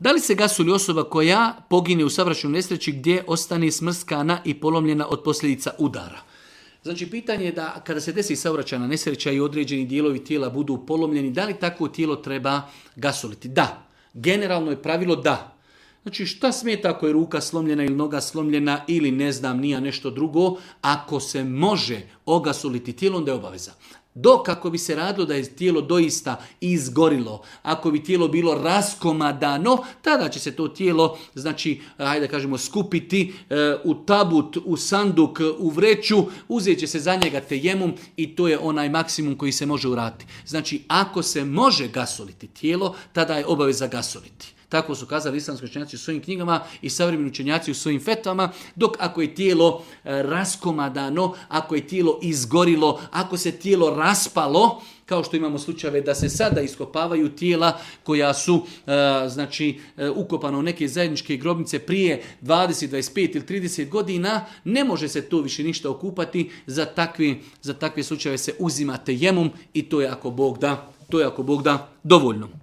Da li se gasuli osoba koja pogine u saobraćajnoj nesreći gdje ostane smrskana i polomljena od posljedica udara? Znači, pitanje je da kada se desi saobraćajna nesreća i određeni dijelovi tijela budu polomljeni, da li takvo tijelo treba gasoliti? Da. Generalno je pravilo da. Znači, šta smeta ako je ruka slomljena ili noga slomljena ili ne znam, nije nešto drugo, ako se može ogasoliti tijelo, onda je obaveza. Dok ako bi se radilo da je tijelo doista izgorilo, ako bi tijelo bilo raskomadano, tada će se to tijelo, znači, hajde kažemo, skupiti u tabut, u sanduk, u vreću, uzet će se za njega tejemum i to je onaj maksimum koji se može uraditi. Znači, ako se može gasoliti tijelo, tada je obaveza gasoliti. Tako su kazali islamski učenjaci u svojim knjigama i savremeni učenjaci u svojim fetvama, dok ako je tijelo raskomadano, ako je tijelo izgorilo, ako se tijelo raspalo, kao što imamo slučajeve da se sada iskopavaju tijela koja su ukopana u neke zajedničke grobnice prije 20, 25 ili 30 godina, ne može se to više ništa okupati, za takve slučajeve se uzima tejemum i to je ako Bog da dovoljno.